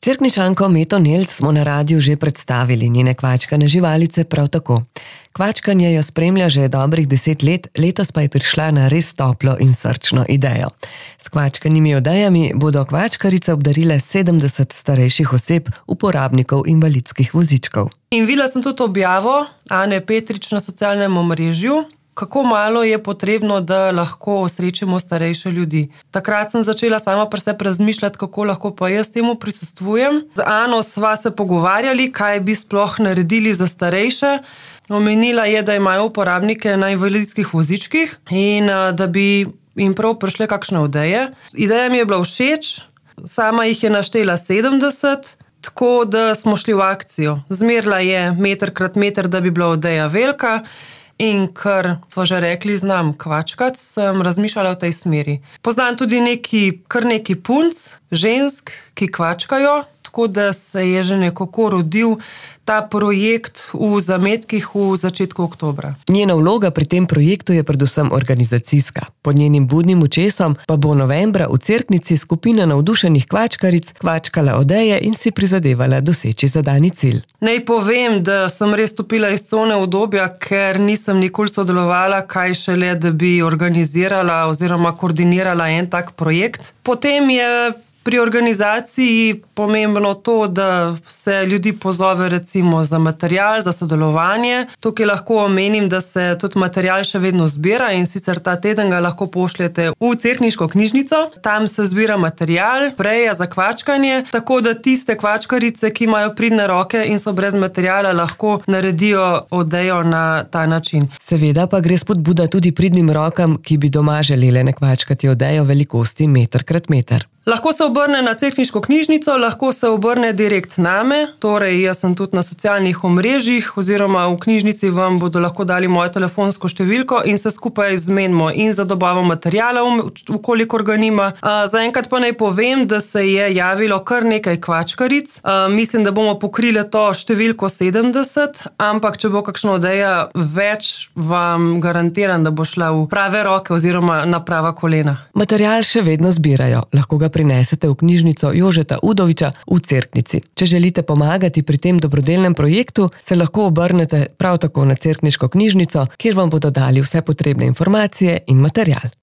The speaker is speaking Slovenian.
Cerkničanko Meto Nelc smo na radiu že predstavili, njene kvačkane živalice prav tako. Kvačkanje jo spremlja že dobrih 10 let, letos pa je prišla na res toplo in srčno idejo. S kvačkanimi odejami bodo kvačkarice obdarile 70 starejših oseb, uporabnikov invalidskih vozičkov. In videla sem tudi objavo Ane Petrič na socialnem omrežju, kako malo je potrebno, da lahko osrečimo starejše ljudi. Takrat sem začela sama pri sebi razmišljati, kako lahko pa jaz temu prisostvujem. Z Ano sva se pogovarjali, kaj bi sploh naredili za starejše. Omenila je, da imajo uporabnike na invalidskih vozičkih in da bi jim prav prišle kakšne ideje. Ideja mi je bila všeč, sama jih je naštela 70, tako da smo šli v akcijo. Zmerila je 1x1 meter, da bi bila ideja velika. In ker smo že rekli, znam kvačkati, sem razmišljala v tej smeri. Poznam tudi kar neki punc, žensk, ki kvačkajo, tako da se je že nekako rodil ta projekt v zametkih v začetku oktobra. Njena vloga pri tem projektu je predvsem organizacijska. Pod njenim budnim očesom pa bo novembra v Cerknici skupina navdušenih kvačkaric kvačkala odeje in si prizadevala doseči zadani cilj. Naj povem, da sem res stopila iz cone udobja, ker nisem nikoli sodelovala, kaj šele, da bi organizirala oziroma koordinirala en tak projekt. Potem je pri organizaciji pomembno to, da se ljudi pozove recimo za material, za sodelovanje. Tukaj lahko omenim, da se tudi material še vedno zbira in sicer ta teden ga lahko pošljete v cerkniško knjižnico. Tam se zbira material, preja za kvačkanje, tako da tiste kvačkarice, ki imajo pridne roke in so brez materiala, lahko naredijo odejo na ta način. Seveda pa gre spodbuda tudi pridnim rokam, ki bi doma želele nakvačkati odejo velikosti 1x1 meter. Lahko se obrne na cerkniško knjižnico, lahko se obrne direkt name, torej jaz sem tudi na socialnih omrežjih oziroma v knjižnici vam bodo lahko dali mojo telefonsko številko in se skupaj zmenimo in za dobavo materijala, vkolikor ga nima. Zaenkrat pa naj povem, da se je javilo kar nekaj kvačkaric. Mislim, da bomo pokrili to številko 70, ampak če bo kakšna odeja več, vam garantiram, da bo šla v prave roke oziroma na prava kolena. Material še vedno zbirajo, lahko ga prinesete v knjižnico Jožeta Udoviča v Cerknici. Če želite pomagati pri tem dobrodelnem projektu, se lahko obrnete prav tako na cerkniško knjižnico, kjer vam bodo dali vse potrebne informacije in material.